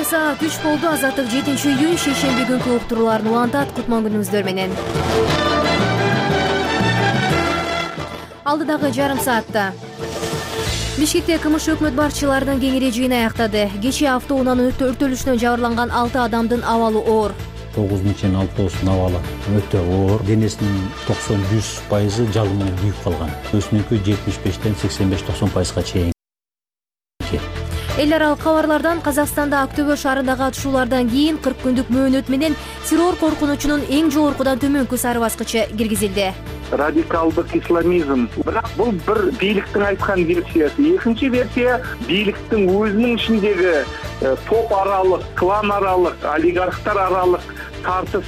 саат 3 болду. Азаттык 7-июнь шейшемби күнкү уктурууларын улантат. Кутман күнүңүздөр менен. Алдыдагы жарым саатта Бишкекте КМШ өкмөт башчыларынын кеңири жыйыны аяктады. Кечээ автоунаанын өрттөлүшүнөн жабырланган 6 адамдын абалы оор. 9 чейин 6 абалы өтө оор. Денесинин 90-100% жалын менен күйүп калган. Өзүнүкү 75-тен 85-90%га чейин. Эл аралык кабарлардан Казакстанда Актөбө шаарындагы атышуулардан кийин 40 күндүк мөөнөт менен террор коркунучунун эң жогоркудан төмөнкү сары баскычы киргизилди. Радикалдык исламизм. Бирок бул бир бийликтин айткан версиясы. Экинчи версия бийликтин өзүнүн ичиндеги топ аралык, клан аралык, олигархтар аралык тартыш.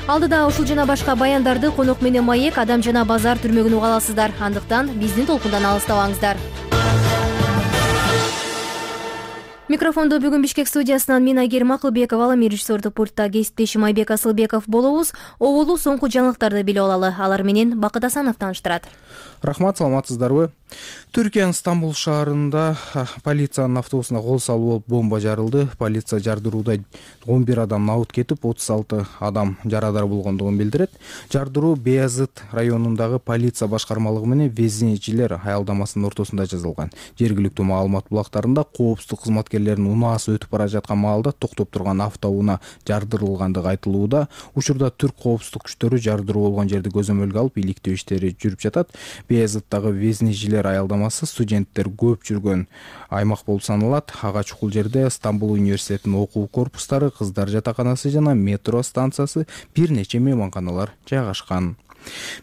Алдыда ушул жана башка баяндарды Конок менен Маек Адам жана Базар түрмөгүн уга аласыздар. Андыктан биздин толкундан алыстабаңыздар. Микрофондо бүгүн Бишкек студиясынан мен Айгерим Акылбекова, ал режиссердук пультта кесиптешим Айбек Асылбеков болобуз. Оболу соңку жаңылыктарды билип алалы. Алар менен Бакыт Асанов тааныштырат. Рахмат, саламатсыздарбы? Түркиянын Стамбул шаарында полициянын автобусуна кол салуу болуп бомба жарылды. Полиция жардырууда 11 адам набыт кетип, 36 адам жарадар болгондугун билдирет. Жардыруу Беязыт районундагы полиция башкармалыгы менен Везенечилер аялдамасынын ортосунда жасалган. Жергиликтүү маалымат булактарында коопсуздук кызматкерлеринин унаасы өтүп бара жаткан маалда токтоп турган автоунаа жардырылгандыгы айтылууда. Учурда түрк коопсуздук күчтөрү жардыруу болгон жерди көзөмөлгө алып, иликтөө иштери жүрүп жатат. Беязыттагы Везенечилер аялдамасы студенттер көп жүргөн аймак болуп саналат. Ага чукул жерде Стамбул университетинин окуу корпустары, кыздар жатаканасы жана метро станциясы, бир нече мейманканалар жайгашкан.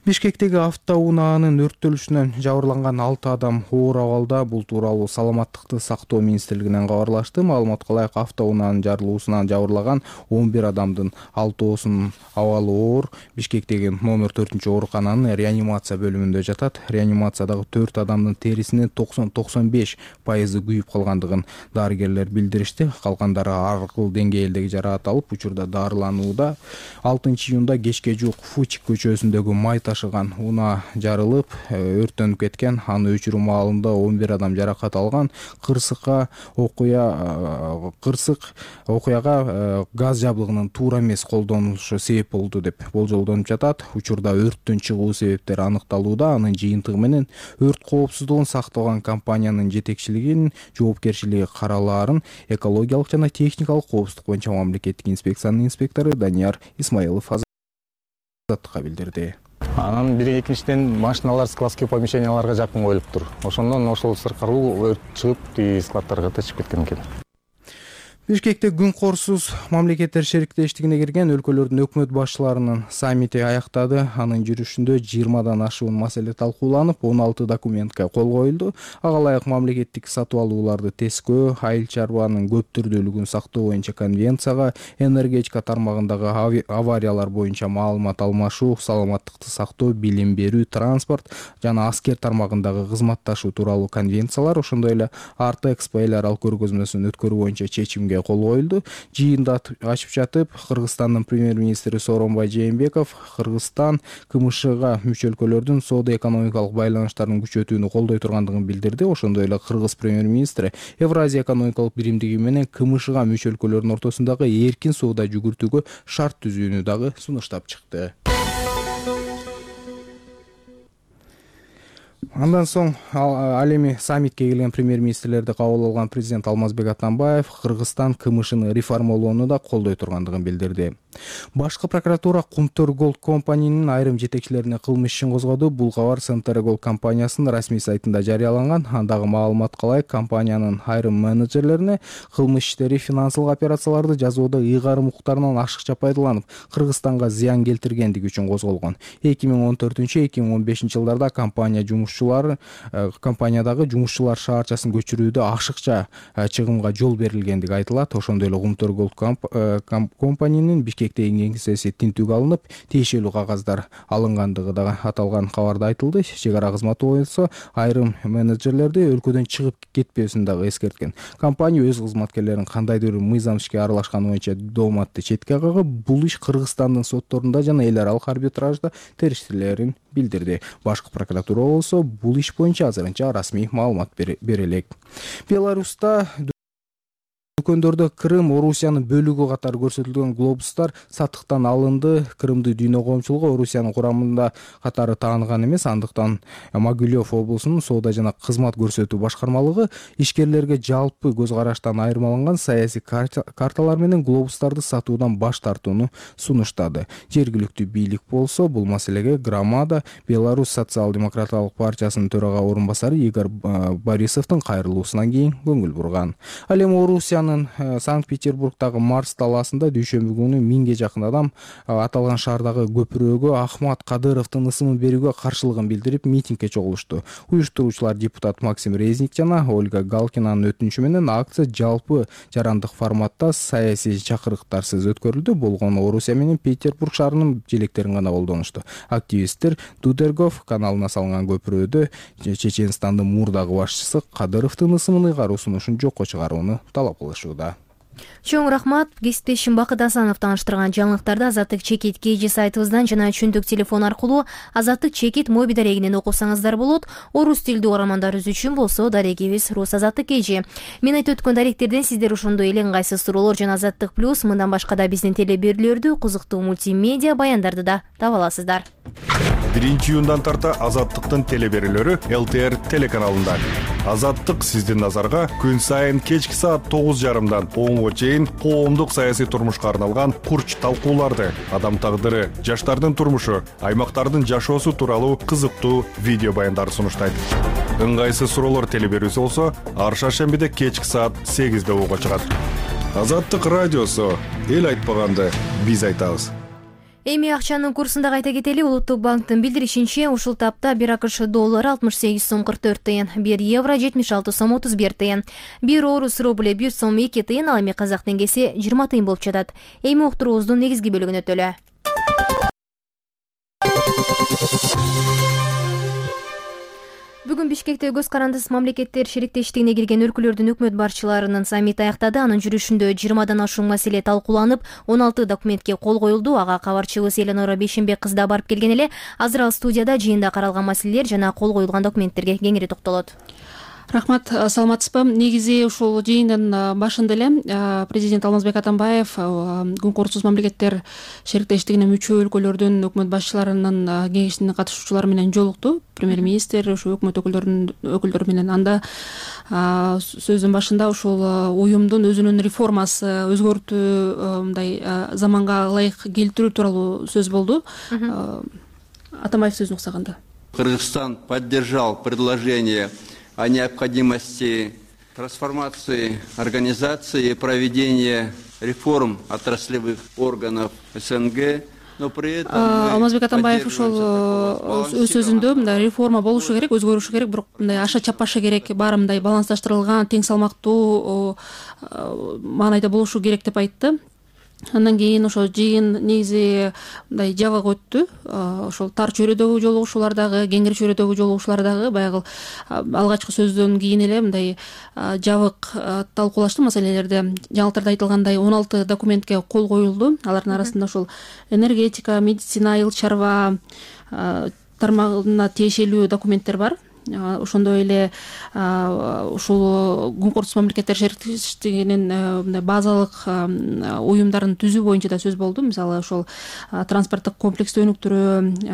Бишкектеги автоунаанын өрттөлүшүнөн жабырланган 6 адам оор абалда. Бул тууралуу Саламаттыкты сактоо министрлигинен кабарлашты. Маалыматка ылайык, автоунаанын жарылуусунан жабырлаган 11 адамдын 6-оосунун абалы оор. Бишкектеги номер 4-оорукананын реанимация бөлүмүндө жатат. Реанимациядагы 4 адамдын терисинин 90-95% күйүп калгандыгын дарыгерлер билдиришти. Калгандары ар кыл деңгээлдеги жараат алып, учурда дарыланууда. 6-июнда кечке жуук Фучик көчөсүндөгү май ташыган унаа жарылып, өрттөнүп кеткен. Аны өчүрүү маалында 11 адам жаракат алган. Кырсык окуяга газ жабдыгынын туура эмес колдонулушу себеп болду деп болжолдонуп жатат. Учурда өрттүн чыгуу себептери аныкталууда. Анын жыйынтыгы менен өрт коопсуздугун сактаган компаниянын жетекчилигинин жоопкерчилиги каралаарын экологиялык жана техникалык коопсуздук боюнча мамлекеттик инспекциянын инспектору Данияр Исмаилов билдирди. Анан экинчиден машиналар складский помещенияларга жакын коюлуптур. Ошондон ошол сыркаруу өрт чыгып, складтарга тачып кеткен экен. Бишкекте күн корсуз мамлекеттер шериктештигине кирген өлкөлөрдүн өкмөт башчыларынын саммити аяктады. Анын жүрүшүндө 20-дан ашуун маселе талкууланып, 16 документке кол коюлду. Ага ылайык мамлекеттик сатып алууларды тескөө, айыл чарбанын көп түрдүүлүгүн сактоо боюнча конвенцияга, энергетика тармагындагы авариялар боюнча маалымат алмашуу, саламаттыкты сактоо, билим берүү, транспорт жана аскер тармагындагы кызматташуу тууралуу конвенциялар, ошондой эле Артэкспо эл аралык көргөзмөсүн өткөрүү боюнча чечимге кол коюлду. Жыйында ачып жатып, Кыргызстандын премьер-министри Сооронбай Жээнбеков Кыргызстан КМШга мүчө өлкөлөрдүн соода-экономикалык байланыштарын күчөтүүнү колдой тургандыгын билдирди. Ошондой эле Кыргыз премьер-министри Евразия экономикалык биримдиги менен КМШга мүчө өлкөлөрдүн ортосундагы эркин соода жүгүртүүгө шарт түзүүнү дагы сунуштап чыкты. Андан соң ал эми саммитке келген премьер-министрлерди кабыл алган президент Алмазбек Атамбаев Кыргызстан КМШны реформалоону да колдой тургандыгын билдирди. Башкы прокуратура Кумтөр Голд компаниянын айрым жетекчилерине кылмыш ишин козгоду. Бул кабар Центр Голд компаниясынын расмий сайтында жарыяланган. Андагы маалыматка ылайык, компаниянын айрым менеджерлерине кылмыш иштери, финансылык операцияларды жасоодо ыйгарым укуктарынан ашыкча пайдаланып, Кыргызстанга зыян келтиргендиги үчүн козголгон. 2014-2015 жылдарда компаниядагы жумушчулар шаарчасын көчүрүүдө ашыкча чыгымга жол берилгендиги айтылат. Ошондой эле Кумтөр Голд компаниянын Бишкектеги кеңсеси тинтүүгө алынып, тиешелүү кагаздар алынгандыгы да аталган кабарда айтылды. Чек ара кызматы боюнча айрым менеджерлерди өлкөдөн чыгып кетпесин дагы эскерткен. Компания өз кызматкерлерин кандайдыр мыйзам ишке аралашканы боюнча дооматты четке кагып, бул иш Кыргызстандын сотторунда жана эл аралык арбитражда териштирилерин билдирди. Башкы прокуратура болсо бул иш боюнча азырынча расмий маалымат бере элек. Беларуста дүкөндөрдө Крым Орусиянын бөлүгү катары көрсөтүлгөн глобустар сатыктан алынды. Крымды дүйнө коомчулугу Орусиянын курамында катары тааныган эмес, андыктан Могилев облусунун соода жана кызмат көрсөтүү башкармалыгы ишкерлерге жалпы көз караштан айырмаланган саясий карталар менен глобустарды сатуудан баш тартууну сунуштады. Жергиликтүү бийлик болсо бул маселеге Громада Беларусь социал-демократиялык партиясынын төрага орун басары Игорь Борисовдун кайрылуусунан кийин көңүл бурган. Ал эми Орусиянын Санкт-Петербургдагы Марс талаасында дүйшөмбү күнү 1000ге жакын адам аталган шаардагы көпүрөгө Ахмат Кадыровдун ысымын берүүгө каршылыгын билдирип митингге чогулушту. Уюштуруучулар депутат Максим Резник жана Ольга Галкинанын өтүнүчү менен акция жалпы жарандык форматта саясий чакырыктарсыз өткөрүлдү. Болгону Орусия менен Петербург шаарынын желектерин гана колдонушту. Активисттер Дудергов каналына салынган көпүрөдө Чеченстандын мурдагы башчысы Кадыровдун ысымын ыйгаруусун жокко чыгарууну талап кылышууда. Чоң рахмат. Кесиптешим Бакыт Асанов тааныштырган жаңылыктарды Азаттык чекит KG сайтыбыздан жана чүндүк телефон аркылуу Азаттык чекит моби дарегинен окусаңыздар болот. Орус тилдүү угармандарыбыз үчүн болсо дарегибиз Рус Азаттык KG. Мен айтып өткөн даректерден сиздер ошондой эле ыңгайсыз суроолор жана Азаттык плюс мындан башка да биздин теле берүүлөрдү, кызыктуу мультимедиа баяндарды да таба аласыздар. 1-июндан тарта Азаттыктын теле берүүлөрү ЛТР телеканалында. Азаттык сиздин назарга күн сайын кечки саат 9:30дан 10:00 чейин коомдук саясий турмушка арналган курч талкууларды, адам тагдыры, жаштардын турмушу, аймактардын жашоосу тууралуу кызыктуу видео баяндарды сунуштайт. Ыңгайсыз суроолор теле берүүсү болсо, ар шаршембиде кечки саат 8:00 угууга чыгат. Азаттык радиосу, эл айтпаганды биз айтабыз. Эми акчанын курсунда кайта кетели. Улуттук банктын билдиришинче, ушул тапта 1 АКШ доллары 68 сом 44 тыйын, 1 евро 76 сом 31 тыйын, 1 орус рубль 1 сом 2 тыйын, ал эми казак теңгеси 20 тыйын болуп жатат. Эми уктуруубуздун негизги бөлүгүнө өтөлө. Бүгүн Бишкекте көз карандысыз мамлекеттер шериктештигине кирген өлкөлөрдүн өкмөт башчыларынын саммити аяктады. Анын жүрүшүндө 20дан ашуун маселе талкууланып, 16 документке кол коюлду. Ага кабарчыбыз Эленора Бейшенбек кыз да барып келген эле. Азыр ал студияда жыйында каралган маселелер жана кол коюлган документтерге кеңири токтолот. Рахмат, саламатсызбы? Негизи ушул жыйындын башында эле президент Алмазбек Атамбаев күн корусуз мамлекеттер шериктештигине мүчө өлкөлөрдүн өкмөт башчыларынын кеңешинин катышуучулары менен жолукту. Премьер-министр, ошо өкмөт өкүлдөрү менен. Анда сөзүн башында ушул уюмдун өзүнүн реформасы, өзгөртүү, мындай заманга ылайык келтирүү тууралуу сөз болду. Атамбаев сөзүн уксаганда. Кыргызстан поддержал предложение о необходимости трансформации организации и проведения реформ отраслевых органов СНГ, но при этом Алмазбек Атамбаев ушул өз сөзүндө мындай реформа болушу керек, өзгөрүшү керек, бирок мындай аша чапаша керек, баары мындай балансташтырылган, тең салмактуу маанайда болушу керек деп айтты. Андан кийин ошо жыйын негизи мындай жабык өттү. Ошол тар чөйрөдөгү жолугушуулар дагы, кеңири чөйрөдөгү жолугушуулар дагы баягы алгачкы сөздөн кийин эле мындай жабык талкуулашты маселелерде. Жаңылыктарда айтылгандай 16 документке кол коюлду. Алардын арасында ошол энергетика, медицина, айыл чарба тармагына тиешелүү документтер бар. Ошондой эле ушул күн корусуз мамлекеттер шериктештигинин базалык уюмдарын түзүү боюнча да сөз болду. Мисалы, ошол транспорттук комплекстти өнүктүрүү,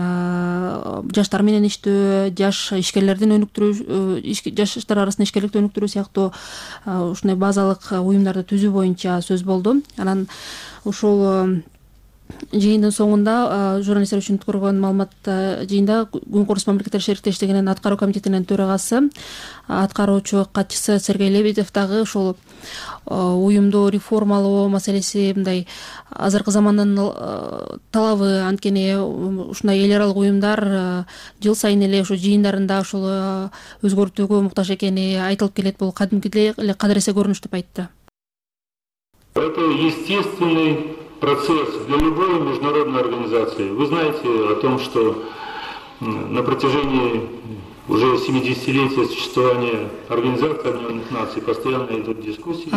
жаштар менен иштөө, жаш ишкерлердин өнүктүрүү, жаштар арасында ишкерликти өнүктүрүү сыяктуу ушундай базалык уюмдарды түзүү боюнча сөз болду. Анан ушул жыйындын соңунда журналисттер үчүн өткөргөн маалымат жыйында күн корусуз мамлекеттер шериктештигинин аткаруу комитетинин төрагасы, аткаруучу катчысы Сергей Лебедев дагы ушул уюмду реформалоо маселеси мындай азыркы замандын талабы, анткени ушундай эл аралык уюмдар жыл сайын эле ошо жыйындарында ушул өзгөртүүгө муктаж экени айтылып келет. Бул кадимкидей эле кадыресе көрүнүш деп айтты. Это естественный процесс для любой международной организации. Вы знаете о том, что на протяжении Уже 70-летие существования Организации Объединенных Наций постоянно идут дискуссии.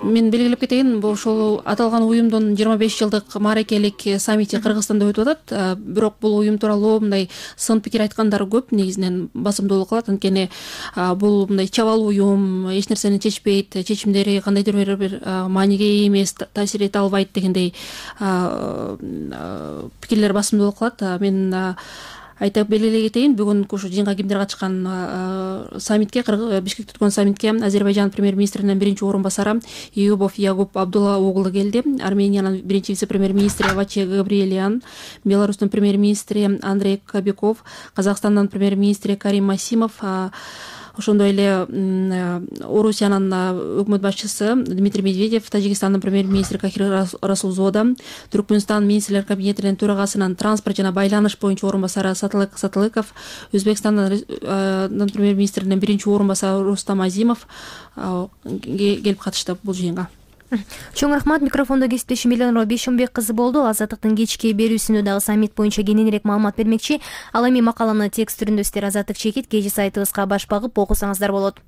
Мен белгилеп кетейин, ошол аталган уюмдун 25 жылдык мааракелик саммити Кыргызстанда өтүп атат. Бирок бул уюм тууралуу мындай сын пикир айткандар көп, негизинен басымдуулук кылат. Анткени бул мындай чабал уюм, эч нерсени чечпейт, чечимдери кандайдыр бир мааниге ээ эмес, таасир эте албайт дегендей пикирлер басымдуулук кылат. Мен айтып белгилей кетейин, бүгүнкү ушу жыйынга кимдер катышкан саммитке, Бишкекте өткөн саммитке Азербайжан премьер-министринин биринчи орун басары Июбов Ягуб Абдулла оглу келди. Армениянын биринчи вице-премьер-министри Ваче Габриэлиан, Беларустун премьер-министри Андрей Кобяков, Казакстандын премьер-министри Карим Масимов, ошондой эле Орусиянын өкмөт башчысы Дмитрий Медведев, Тажикстандын премьер-министри Кахир Расулзода, Түркмөнстан министрлер кабинетинин төрагасынын транспорт жана байланыш боюнча орун басары Сатылык Сатылыков, Өзбекстандын премьер-министринин биринчи орун басары Рустам Азимов келип катышты бул жыйынга. Чоң рахмат. Микрофондо кесиптешим Элеонора Бейшембек кызы болду. Азаттыктын кечки берүүсүндө дагы саммит боюнча кененирээк маалымат бермекчи. Ал эми макаланы текст түрүндө сиздер Азаттык чекит KG сайтыбызга баш багып окусаңыздар болот.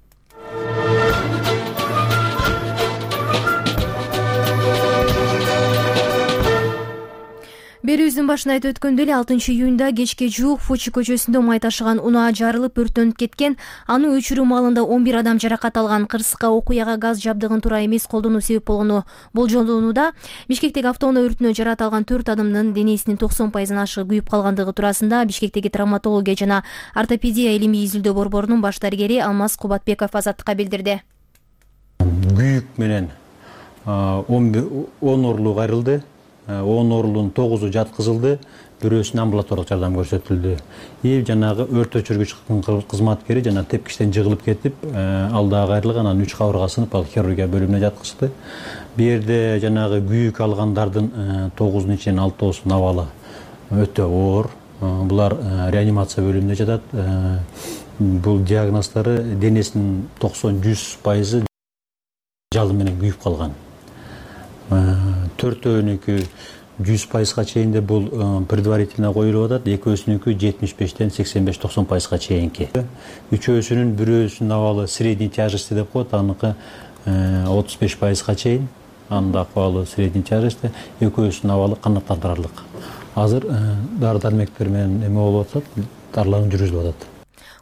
Берүүбүздүн башында айтып өткөндөй эле 6-июнда кечке жуук Фучи көчөсүндө май ташыган унаа жарылып өрттөнүп кеткен. Аны өчүрүү маалында 11 адам жаракат алган. Кырсыкка окуяга газ жабдыгын туура эмес колдонуу себеп болгону болжолдонууда. Бишкектеги автоунаа өртүнө жаракат алган 4 адамдын денесинин 90% ашыгы күйүп калгандыгы туурасында Бишкектеги травматология жана ортопедия илимий изилдөө борборунун баш дарыгери Алмаз Кубатбеков Азаттыкка билдирди. Күйүк менен 10 оорулуу кайрылды. 10 оорулуунун 9-у жаткызылды, бирөөсүнө амбулаториялык жардам көрсөтүлдү. Жанагы өрт өчүргүч кызматкери жана тепкичтен жыгылып кетип, ал дагы кайрылган, анан 3 кабырга сынып, ал хирургия бөлүмүнө жаткызылды. Бу жерде жанагы күйүк алгандардын 9-унун ичинен 6-оосу абалы өтө оор. Булар реанимация бөлүмүнө жатат. Бул диагноздору денесинин 90-100% жалын менен күйүп калган. 4-өөнүкү 100%га чейин бул предварительно коюлуп атат, экөөсүнүкү 75-тен 85-90%га чейинки. Үчөөсүнүн бирөөсүнүн абалы средний тяжести деп коет, аныкы 35%га чейин. Анын да акыбалы средний тяжести, экөөсүнүн абалы канааттандырарлык. Азыр дары-дармектер менен эме болуп атат, дарылануу жүргүзүлүп атат.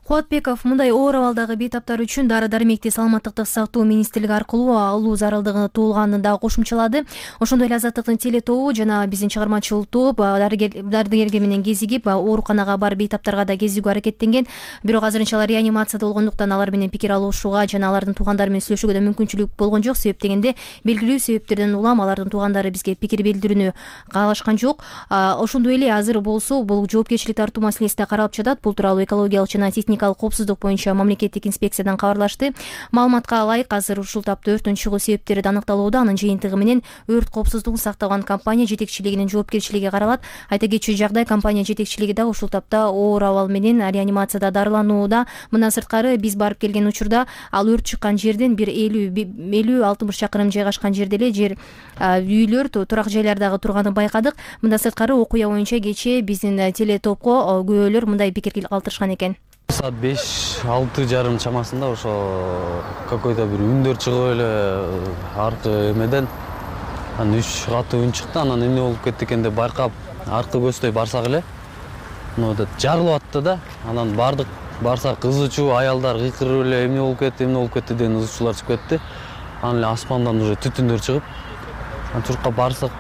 Кубатбеков мындай оор абалдагы бейтаптар үчүн дары-дармекти саламаттыкты сактоо министрлиги аркылуу алуу зарылдыгы туулганын да кошумчалады. Ошондой эле Азаттыктын теле тобу жана биздин чыгармачыл топ дарыгерге менен кезигип, ооруканага барып бейтаптарга да кезүүгө аракеттенген. Бирок азырынча алар реанимацияда болгондуктан алар менен пикир алышууга жана алардын туугандары менен сүйлөшүүгө да мүмкүнчүлүк болгон жок. Себеп дегенде белгилүү себептерден улам алардын туугандары бизге пикир билдирүүнү каалашкан жок. Ошондой эле азыр болсо бул жоопкерчилик тартуу маселеси да каралып жатат. Бул тууралуу экологиялык жана коопсуздук боюнча мамлекеттик инспекциядан кабарлашты. Маалыматка ылайык, азыр ушул тапта өрттүн чыгуу себептери да аныкталууда. Анын жыйынтыгы менен өрт коопсуздугун сактаган компания жетекчилигинин жоопкерчилиги каралат. Айта кетчү жагдай, компания жетекчилиги да ушул тапта оор абал менен реанимацияда дарыланууда. Мындан сырткары биз барып келген учурда ал өрт чыккан жерден бир 50-60 чакырым жайгашкан жерде эле жер үйлөр, турак жайлардагы турганын байкадык. Мындан сырткары окуя боюнча кечээ биздин теле топко күбөлөр мындай пикир калтырышкан экен. Саат 5-6:30 чамасында ошо какой-то бир үндөр чыгып эле аркы эмеден анан 3 катуу үн чыкты. Анан эмне болуп кетти экен деп байкап аркы көздөй барсак эле жарылып атты да. Анан барсак кызы чуу аялдар кыйкырып эле эмне болуп кетти деген ызы-чуулар чыгып кетти. Анан эле аспандан уже түтүндөр чыгып, анан барсак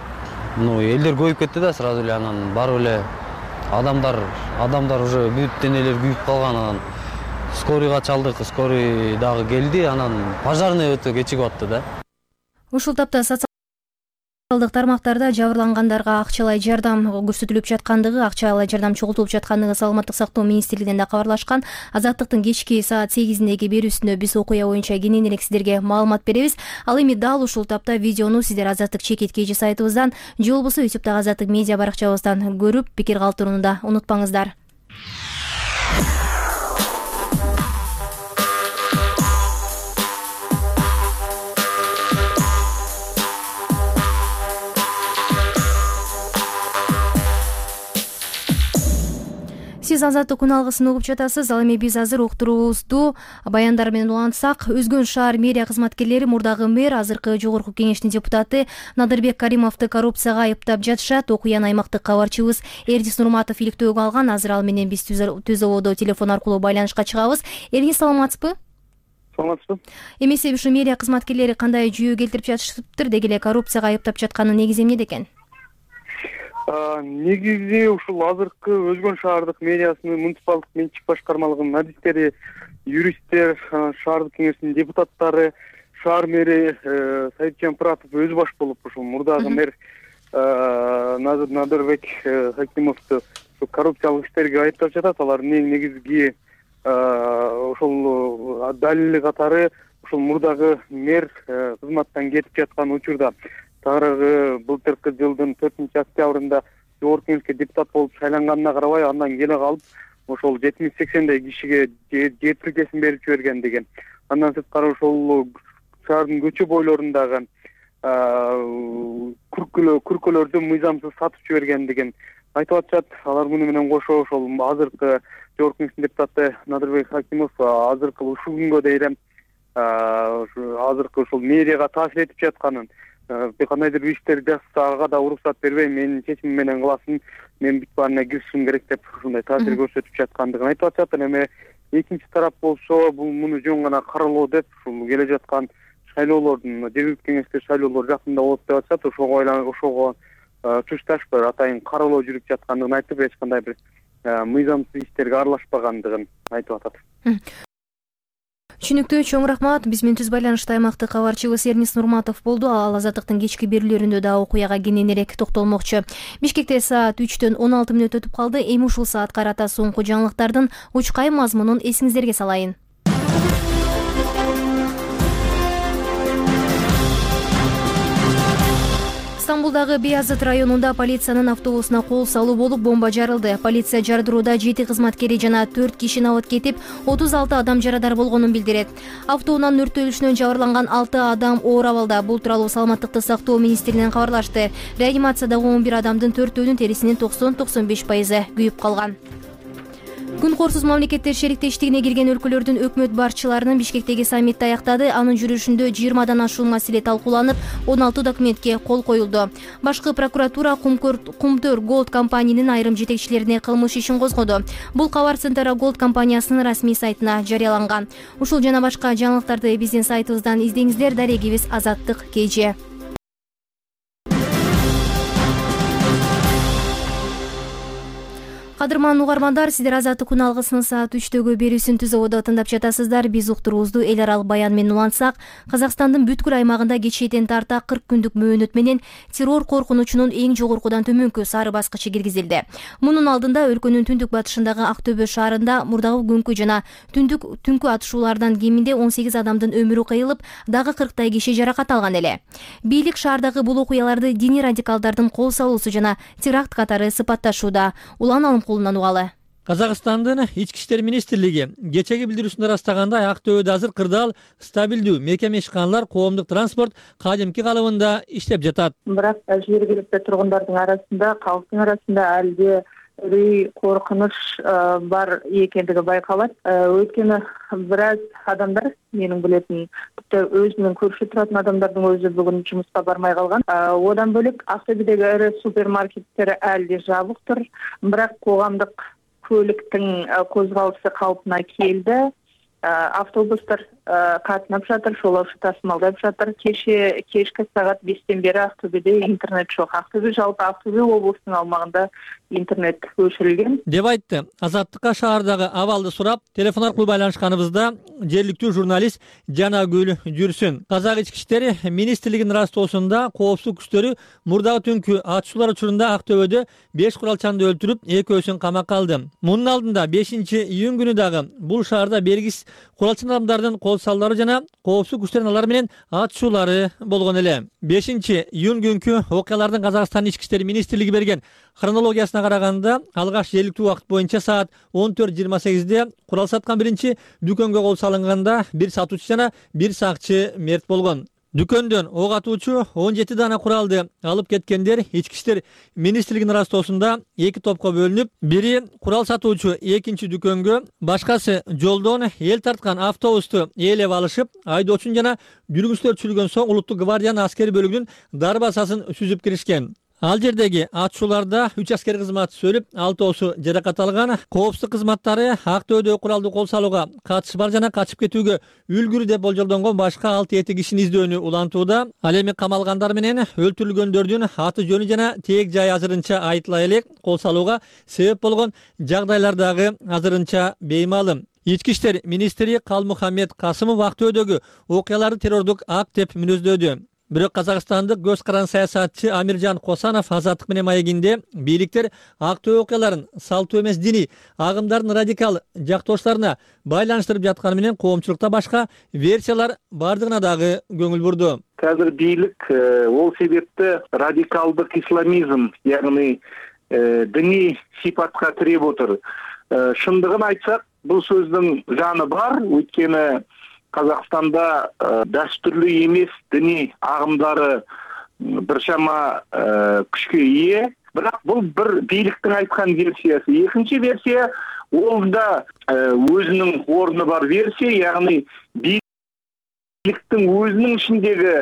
элдер көйүп кетти да сразу эле. Анан барып эле адамдар уже бүт денелер күйүп калган. Анан скорыйга чалдык, скорый дагы келди. Анан пожарный өтө кечигип атты да. Ушул тапта социалдык тармактарда жабырлангандарга акчалай жардам көрсөтүлүп жаткандыгы, акчалай жардам чогултулуп жаткандыгы Саламаттык сактоо министрлигинен да кабарлашкан. Азаттыктын кечки саат 8-деги берүүсүндө биз окуя боюнча кененирээк сиздерге маалымат беребиз. Ал эми дал ушул тапта видеону сиздер Азаттык чекит KG сайтыбыздан же болбосо YouTube'дагы Азаттык медиа баракчабыздан көрүп, пикир калтырууну да унутпаңыздар. Сиз Сиз Азаттык күн алгысын угуп жатасыз. Ал эми биз азыр уктуруубузду баяндар менен улантсак, Өзгөн шаар мэрия кызматкерлери мурдагы мэр, азыркы жогорку кеңештин депутаты Надырбек Каримовду коррупцияга айыптап жатышат. Окуяны аймактык кабарчыбыз Эрдис Нурматов иликтөөгө алган. Азыр ал менен биз түз абалда телефон аркылуу байланышка чыгабыз. Эрдис, саламатсызбы? Саламатсызбы. Эмесе ушу мэрия кызматкерлери кандай жүйө келтирип жатышыптыр, деги эле коррупцияга айыптап жатканын негизи эмнеде экен? Негизи ушул азыркы Өзгөн шаардык мэриясынын муниципалдык менчик башкармалыгынын адистери, юристтер, шаардык кеңештин депутаттары, шаар мэри Саитжан Пыратов өзү баш болуп ушул мурдагы мэр Надырбек Хакимовду коррупциялык иштерге айыптап жатат. Алардын эң негизги ошол далили катары ушул мурдагы мэр кызматтан кетип жаткан учурда тагыраагы былтыркы жылдын 4-октябрында жогорку кеңешке депутат болуп шайланганына карабай, андан келе калып ошол 70-80 кишиге жер тилкесин берип жиберген деген. Андан сырткары ошол шаардын көчө бойлорундагы күркөлөрдү мыйзамсыз сатып жиберген деген айтып атышат. Алар муну менен кошо ошол азыркы жогорку кеңештин депутаты Надырбек Хакимов азыркы ушул күнгө дейин азыркы ошол мэрияга таасир этип жатканын, кандайдыр бир иштерди жасаса ага да уруксат бербей, менин чечимим менен кыласың, мен бүт баарына киришишим керек деп ушундай таасир көрсөтүп жаткандыгын айтып атышат. Эми экинчи тарап болсо бул муну жөн гана каралоо деп ушул келе жаткан шайлоолордун, жергиликтүү кеңешке шайлоолор жакында болот деп атышат. Ошого тушташ бир атайын каралоо жүрүп жаткандыгын айтып, эч кандай бир мыйзамсыз иштерге аралашпагандыгын айтып атат. Түшүнүктүү, чоң рахмат. Биз менен түз байланышта аймактык кабарчыбыз Эрдис Нурматов болду. Ал Азаттыктын кечки берүүлөрүндө да окуяга кененирээк токтолмокчу. Бишкекте саат 3-төн 16 мүнөт өтүп калды. Эми ушул саат карата соңку жаңылыктардын учкай мазмунун эсиңиздерге салайын. Стамбулдагы Бейазыт районунда полициянын автобусуна кол салуу болуп бомба жарылды. Полиция жардырууда 7 кызматкери жана 4 киши абат кетип, 36 адам жарадар болгонун билдирет. Автоунан өрттөлүшүнөн жабырланган 6 адам оор абалда. Бул тууралуу Саламаттыкты сактоо министринен кабарлашты. Реанимациядагы 11 адамдын 4-өөнүн терисинин 90-95% күйүп калган. Күн корсуз мамлекеттер шериктештигине кирген өлкөлөрдүн өкмөт башчыларынын Бишкектеги саммити аяктады. Анын жүрүшүндө 20 ашуун маселе талкууланып, 16 документке кол коюлду. Башкы прокуратура Кумтөр Голд компаниянын айрым жетекчилерине кылмыш ишин козгоду. Бул кабар Центра Голд компаниясынын расмий сайтына жарыяланган. Ушул жана башка жаңылыктарды биздин сайтыбыздан издеңиздер. Дарегибиз Азаттык KG. Кадырман угармандар, сиздер Азаттык күн алгысынын саат 3-төгү берүүсүн түз абалда тыңдап жатасыздар. Биз уктуруубузду эл аралык баян менен улантсак, Казакстандын бүткүл аймагында кечээден тарта 40 күндүк мөөнөт менен террор коркунучунун эң жогоркудан төмөнкү сары баскычы киргизилди. Мунун алдында өлкөнүн түндүк батышындагы Актөбө шаарында мурдагы күnkү жана түнкү атышуулардан кеминде 18 адамдын өмүрү кыйылып, дагы 40 киши жаракат алган эле. Бийлик шаардагы бул окуяларды диний радикалдардын кол салуусу жана теракт катары сыпатташууда. Улан угалы. Казакстандын ички иштер министрлиги кечеги билдирүүсүндө ырастагандай, Актөбөдө азыр кырдаал стабилдүү мекеме ишканалар коомдук транспорт кадимки калыбында иштеп жатат. Бирок жергиликтүү тургундардын арасында, калктын арасында албе үрүй, коркунуч бар экендиги байкалат. Өйткөнү бир аз адамдар, менин билетим, өзүнүн көрүшү туратын адамдардын өзү бүгүн жумуска бармай калган. Одан бөлөк Актөбөдөгү эре супермаркеттер әлде жабыктыр, бирок коомдук көлүктүн козголушу калпына келди. Автобустар катынап жатыр, жолоочу тасымалдап жатыр. Кечки саат 5-тен бери Актөбөдө интернет жок. Актөбө жалпы Актөбө облусунун алмагында интернет өчүрүлгөн деп айтты. Азаттыкка шаардагы абалды сурап, телефон аркылуу байланышканыбызда жергиликтүү журналист Жанагүл Жүрсүн. Казак ички иштер министрлигинин растоосунда коопсуздук күчтөрү мурдагы түнкү атышуулар учурунда Актөбөдө 5 куралчанды өлтүрүп, 2-өсүн камакка алды. Мунун алдында 5-июнь күнү дагы бул шаарда бергис куралчан адамдардын кол салуулары жана коопсуздук күчтөрүнүн алар менен атышуулары болгон эле. 5-июнь күнкү окуялардын Казакстандын ички иштер министрлиги берген хронологиясына караганда, алгач жергиликтүү убакыт боюнча саат 14:28-де курал саткан биринчи дүкөнгө кол салынганда 1 сатуучу жана 1 сакчы мерт болгон. Дүкөндөн ок атуучу 17 дана куралды алып кеткендер ички иштер министрлигинин ыраазасында 2 топко бөлүнүп, бири курал сатуучу экинчи дүкөнгө, башкасы жолдон эл тарткан автобусту ээлеп алышып, айдоочун жана жүргүнчүлөр түшүргөн соң улуттук гвардиянын аскери бөлүгүнүн дарбазасын сүзүп киришкен. Ал жердеги атышууларда 3 аскер кызматчысы өлүп, 6 жаракат алган. Коопсуздук кызматтары Актөөдө куралды кол салууга катышы бар жана качып кетүүгө үлгүрү деп болжолдонгон башка 6-7 кишини издөөнү улантууда. Ал эми камалгандар менен өлтүрүлгөндөрдүн аты жөнү жана теек жайы азырынча айтыла элек. Кол салууга себеп болгон жагдайлар дагы азырынча беймалым. Ички иштер министри Калмухаммед Касымов Актөөдөгү окуяларды террордук акт деп мүнөздөдү. Бирок казакстандык көз каран саясатчы Амиржан Косанов Азаттык менен маегинде бийликтер Актөө окуяларын салттуу эмес диний агымдардын радикал жактоочуларына байланыштырып жатканы менен коомчулукта башка версиялар бардыгына дагы көңүл бурду. Қазір бийлик ол себепті радикалдык исламизм, яғни діни сипатқа тіреп отыр. Шындығын айтсақ, бұл сөздің жаны бар, өйткені Қазақстанда дәстүрлі емес діни ағымдары біршама күшке ие, бірақ бұл бір бийликтің айтқан версиясы. Екінші версия ол да өзінің орны бар версия, яғни бийликтің өзінің ішіндегі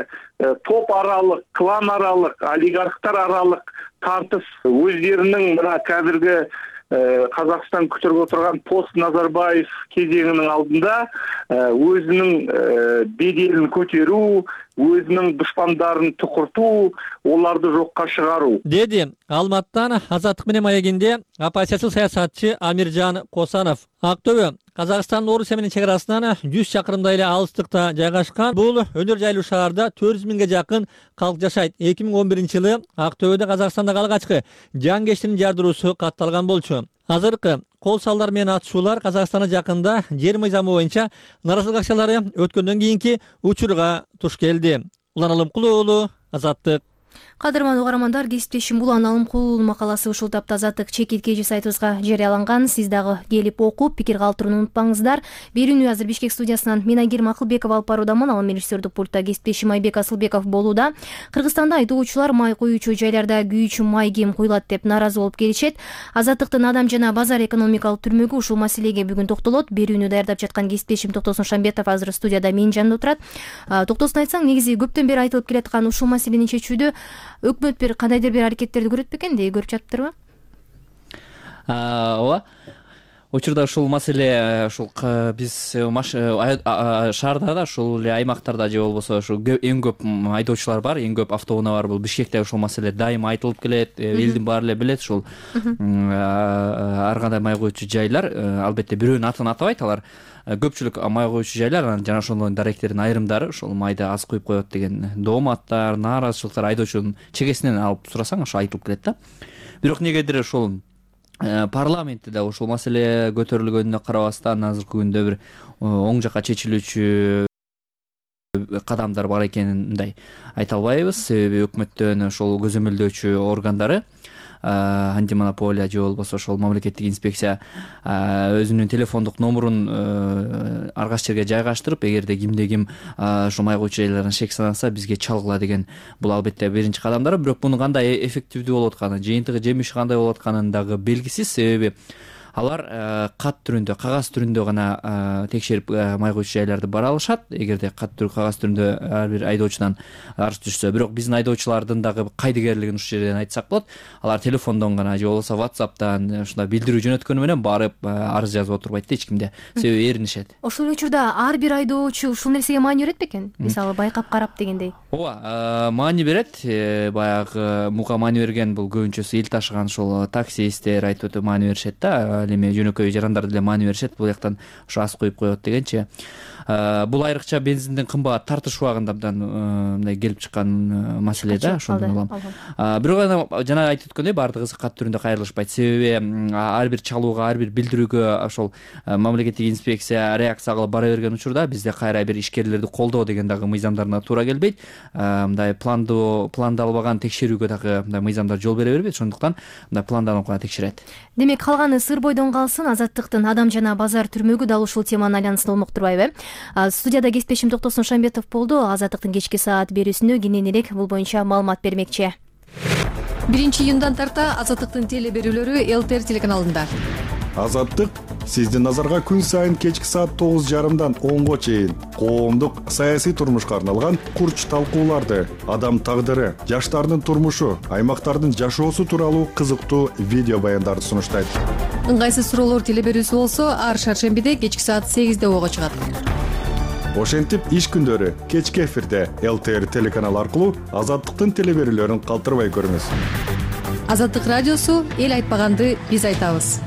топ аралық, клан аралық, олигархтар аралық тартыс өздерінің мына қазіргі Қазақстан күтіріп отырған пост Назарбаев кезеңінің алдында өзінің беделін көтеру, өзінің дұшпандарын тұқырту, оларды жоққа шығару. Деди Алматтан Азаттык менен маегинде оппозициялык саясатчы Амиржан Косанов. Актөө Казакстандын Орусия менен чек арасынан 100 чакырымдай эле алыстыкта жайгашкан. Бул өнөр жайлуу шаарда 400 миңге жакын калк жашайт. 2011-жылы Актөөдө Казакстандагы алгачкы жангештин жардыруусу катталган болчу. Азыркы кол салдар менен атышуулар Казакстанда жакында жер мыйзамы боюнча наразылык акциялары өткөндөн кийинки учурга туш келди. Улан Алымкулуу уулу, Азаттык. Кадырман угармандар, кесиптешим Улан Алымкулуу макаласы ушул тапта Азаттык чекит сайтыбызга жарыяланган. Сиз дагы келип окуп, пикир калтырууну унутпаңыздар. Берүүнү азыр Бишкек студиясынан мен Айгерим Акылбекова алып баруудамын. Ал режиссердик пультта кесиптешим Айбек Асылбеков болууда. Кыргызстанда айдоочулар май коюучу жайларда күйүүчү май кем куюлат деп нааразы болуп келишет. Азаттыктын Адам жана базар экономикалык түрмөгү ушул маселеге бүгүн токтолот. Берүүнү даярдап жаткан кесиптешим Токтосун Шамбетов азыр студияда менин жанымда отурат. Токтосун айтсаң, негизи көптөн бери айтылып келаткан ушул маселени чечүүдө өкмөт бир кандайдыр бир аракеттерди көрөт бекен деп көрүп жатыптырбы? Ооба. Учурда ушул маселе ушул биз шаарда да, ушул эле аймактарда же болбосо ушул эң көп айдоочулар бар, эң көп автоунаа бар. Бул Бишкекте ушул маселе дайыма айтылып келет, элдин баары эле билет. Ушул ар кандай май коюучу жайлар, албетте бирөөнүн атын атабайт, алар көпчүлүк май коюучу жайлар, жана ошондон даректердин айрымдары ушул майды аз куюп коет деген дооматтар, нааразычылыктар айдоочунун чегесинен алып сурасаң ошо айтылып келет да. Бирок негедир ушул парламентте да ушул маселе көтөрүлгөнүнө карабастан азыркы күндө бир оң жакка чечилүүчү кадамдар бар экенин мындай айта албайбыз. Себеби өкмөттөн ошол көзөмөлдөөчү органдары, антимонополия же болбосо ошол мамлекеттик инспекция өзүнүн телефондук номурун ар кайсы жерге жайгаштырып, эгерде кимде ким ушул май коюучу жайлардан шек санаса бизге чалгыла деген бул албетте биринчи кадамдары. Бирок мунун кандай эффективдүү болуп атканы, жыйынтыгы, жемиши кандай болуп атканын дагы белгисиз. Себеби алар кат түрүндө, кагаз түрүндө гана текшерип май коюучу жайларды бара алышат. Эгерде кагаз түрүндө ар бир айдоочудан арыз түшсө. Бирок биздин айдоочулардын дагы кайдыгерлигин ушул жерден айтсак болот. Алар телефондон гана же болбосо WhatsApp'тан ушундай билдирүү жөнөткөнү менен барып арыз жазып отурбайт да эч кимде. Себеби эринишет. Ошол учурда ар бир айдоочу ушул нерсеге маани берет бекен? Мисалы байкап карап дегендей. Ооба, маани берет. Баягы муга маани берген бул көбүнчөсү эл ташыган ушул таксисттер айтып өтө маани беришет да. Эми жөнөкөй жарандар деле маани беришет, бул жактан ошо аз коюп коет дегенчи. Бул айрыкча бензиндин кымбат тартыш убагында абдан мындай келип чыккан маселе да, ошондон улам. Бирок жана айтып өткөндөй баардыгы кат түрүндө кайрылышпайт. Себеби ар бир чалууга, ар бир билдирүүгө ошол мамлекеттик инспекция реакция кылып бара берген учурда бизде кайра бир ишкерлерди колдоо деген дагы мыйзамдарына туура келбейт. Мындай пландалбаган текшерүүгө дагы мындай мыйзамдар жол бере бербейт. Ошондуктан мындай планданып гана текшерет. Демек калганы сыр бойдон калсын. Азаттыктын Адам жана базар түрмөгү дал ушул теманын айланасында болмок турбайбы? Студияда кесиптешим Токтосун Шамбетов болду. Азаттыктын кечки саат берүүсүндө кененирээк бул боюнча маалымат бермекчи. 1-июндан тарта Азаттыктын теле берүүлөрү ЛТР телеканалында. Азаттык сиздин назарга күн сайын кечки саат 9:30 10-го чейин коомдук саясий турмушка арналган курч талкууларды, адам тагдыры, жаштардын турмушу, аймактардын жашоосу тууралуу кызыктуу видео баяндарды сунуштайт. Ыңгайсыз суроолор теле берүүсү болсо ар шаршембиде кечки саат 8-де ого чыгат. Ошентип иш күндөрү кечки эфирде ЛТР телеканалы аркылуу Азаттыктын теле берүүлөрүн калтырбай көрүңүз. Азаттык радиосу эл айтпаганды биз айтабыз.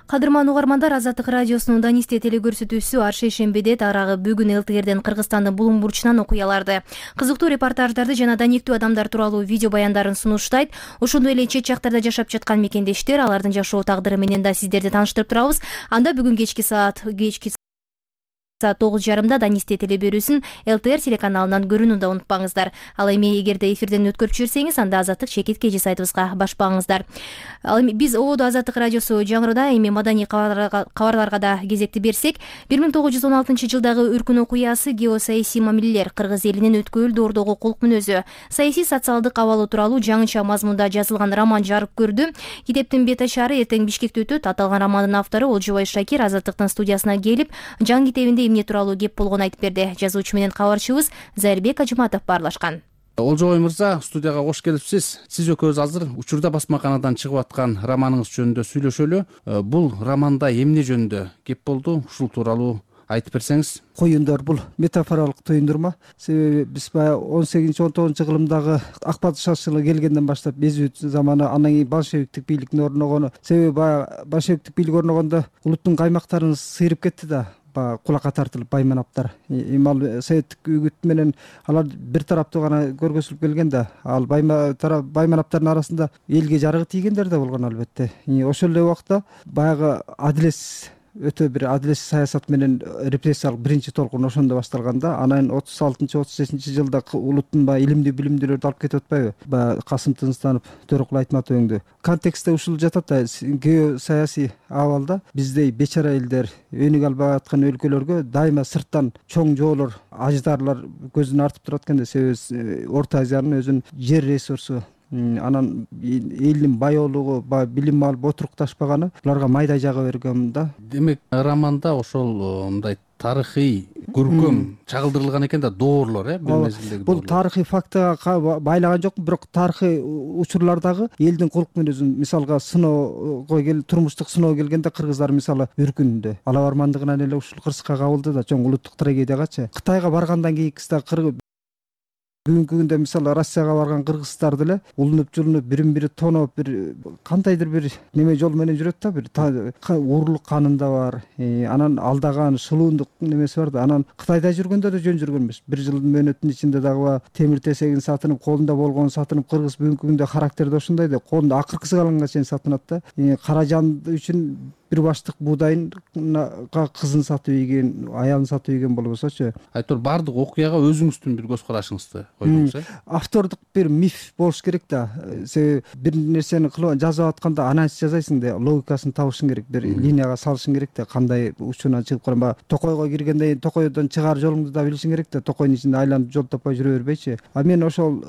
Кадырман угармандар, Азаттык радиосунун Данисте теле көрсөтүүсү ар шейшембиде тарагы бүгүн ЛТРден Кыргызстандын булуң бурчунан окуяларды, кызыктуу репортаждарды жана даниктүү адамдар тууралуу видео баяндарын сунуштайт. Ошондой эле чет жактарда жашап жаткан мекендештер, алардын жашоо тагдыры менен да сиздерди тааныштырып турабыз. Анда бүгүн кечки саат 9:30 Данисте теле берүүсүн ЛТР телеканалынан көрүүнү да унутпаңыздар. Ал эми эгерде эфирден өткөрүп жиберсеңиз, анда Азаттык чекит KG сайтыбызга башпаңыздар. Ал эми биз ободо Азаттык радиосу жаңырда, эми маданий кабарларга да кезекти берсек, 1916-жылдагы өркүн окуясы геосаясий мамилелер, кыргыз элинин өткөн доордогу кулк мүнөзү, саясий социалдык абалы тууралуу жаңыча мазмунда жазылган роман жарык көрдү. Китептин бет ашары эртең Бишкекте өтөт. Аталган романдын автору Олжобай Шакир Азаттыктын студиясына келип, жан китебинде эмне тууралуу кеп болгонун айтып берди. Жазуучу менен кабарчыбыз Зайырбек Ажыматов баарлашкан. Олжобай мырза, студияга кош келипсиз. Сиз экөөбүз азыр Учурда басмаканадан чыгып аткан романыңыз жөнүндө сүйлөшөлү. Бул романда эмне жөнүндө кеп болду? Ушул тууралуу айтып берсеңиз. Коюндар бул метафоралык туюндурма. Себеби биз баягы 18-19 кылымдагы Акбат шаршылыгы келгенден баштап безүү заманы, андан кийин большевиктик бийликтин орногону. Себеби баягы большевиктик бийлик орногондо улуттун каймактарын сыйрып кетти да. Кулакка тартылып байманаптар. Ал советтик үгүт менен алар бир тараптуу гана көргөзүлүп келген да. Ал байманаптардын арасында элге жарыгы тийгендер да болгон албетте. Ошол эле убакта баягы өтө бир адилетсиз саясат менен репрессиялык биринчи толкун ошондо башталганда, анан 36-35-жылда улуттун илимдүү билимдүүлөрдү алып кетип атпайбы? Касым Тынстанов, Төрөкул Айтматов өңдү. Контекстте ушул жатат да, геосаясий абалда биздей бечара элдер, өнүгө албай аткан өлкөлөргө дайыма сырттан чоң жоолор, аждарлар көзүн артып турат экен да. Себеби Орто Азиянын өзүнүн жер ресурсу, анан элдин байоолугу, билим алып отурукташпаганы буларга майдай жага берген да. Демек, романда ошол мындай тарыхый көркөм чагылдырылган экен да, доорлор, бир мезгилдеги. Бул тарыхый фактыга байлаган жок, бирок тарыхый учурлардагы элдин кулк мүнөзүн, мисалга сыноого турмуштук сыноо келгенде кыргыздар мисалы өркүндө ала бармандыгынан эле ушул кырсыкка кабылды да, чоң улуттук трагедиягачы. Кытайга баргандан кийинкисида бүгүнкү күндө мисалы Россияга барган кыргыздар деле улунуп жылынып, бирин бири тоноп, бир кандайдыр бир неме жол менен жүрөт да, бир уурлук канында бар. Анан алдаган шылуундук немеси бар да. Анан Кытайда жүргөндө да жөн жүргөн эмес. Бир жылдын мөөнөтүнүн ичинде дагы темир тесегин сатынып, колунда болгонун сатынып, кыргыз бүгүнкү күндө характерде ошондой да, колунда акыркысы калганга чейин сатынат да. Кара жан үчүн бир баштык буудайын кызын сатып ийген, аялын сатып ийген болбосочу. Айтор, бардык окуяга өзүңүздүн бир көз карашыңызды койдуңуз. Автордук бир миф болуш керек да. Себеби бир нерсени жазып атканда анализ жасайсың да, логикасын табышың керек, бир линияга салышың керек да, кандай учурунан чыгып калган. Токойго киргенде кийин токойдон чыгаар жолуңду да билишиң керек да, токойдун ичинде айланып жол таппай жүрө бербейчи. А мен ошол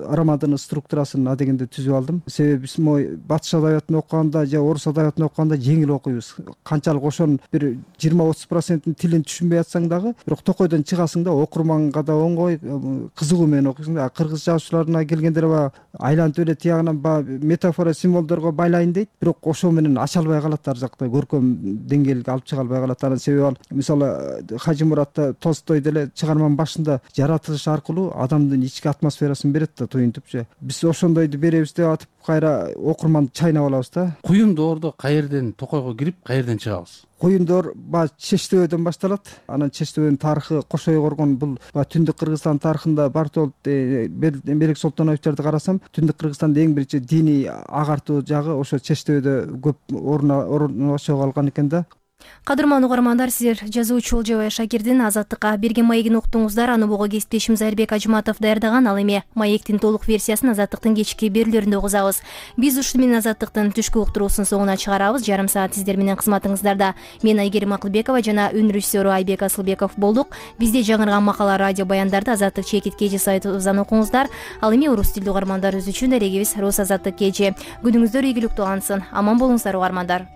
романдын структурасын адегенде түзүп алдым. Себеби биз батыш адабиятын окуганда же орус адабиятын окуганда жеңил окуйбуз. Канчалык ошонун бир 20-30% тилин түшүнбөй атсаң дагы, бирок токойдон чыгасың да, окурманга да оңой, кызыгуу менен окуйсуң да. Кыргыз жазуучуларына келгенде айланып эле тиягынан метафора, символдорго байлайын дейт, бирок ошо менен ача албай калат, ар жакта көркөм деңгээлге алып чыга албай калат. Анан себеби ал мисалы Хажимуратта, Толстой деле чыгарманын башында жаратылыш аркылуу адамдын ички атмосферасын берет да, туюнтупчу. Биз ошондойду беребиз деп атып, кайра окурманды чайнап алабыз да. Куюн доордо каерден Токойго кирип, каерден чыгабыз? Куюндор Чечтөбөдөн башталат. Анан Чечтөбөнүн тарыхы, Кошой коргон, бул Түндүк Кыргызстан тарыхында Бартолд Белек Солтоновичтерди карасам, Түндүк Кыргызстанда эң биринчи диний агартуу жагы ошо Чечтөбөдө көп орношо калган экен да. Кадырман угармандар, сиздер жазуучу Олжобай Шакирдин Азаттыкка берген маегин уктуңуздар. Аны буга кесиптешим Зайырбек Ажматов даярдаган. Ал эми маектин толук версиясын Азаттыктын кечки берүүлөрүндө угузабыз. Биз ушуну менен Азаттыктын түшкү уктуруусун соңуна чыгарабыз. Жарым саат сиздер менен кызматыңыздарда мен Айгерим Акылбекова жана үн режиссеру Айбек Асылбеков болдук. Бизде жаңырган макала, радио баяндарды Азаттык чекит KG сайтыбыздан окуңуздар. Ал эми орус тилдүү угармандар үчүн дарегибиз Рус Азаттык KG. Күнүңүздөр ийгиликтүү алынсын. Аман болуңуздар угармандар.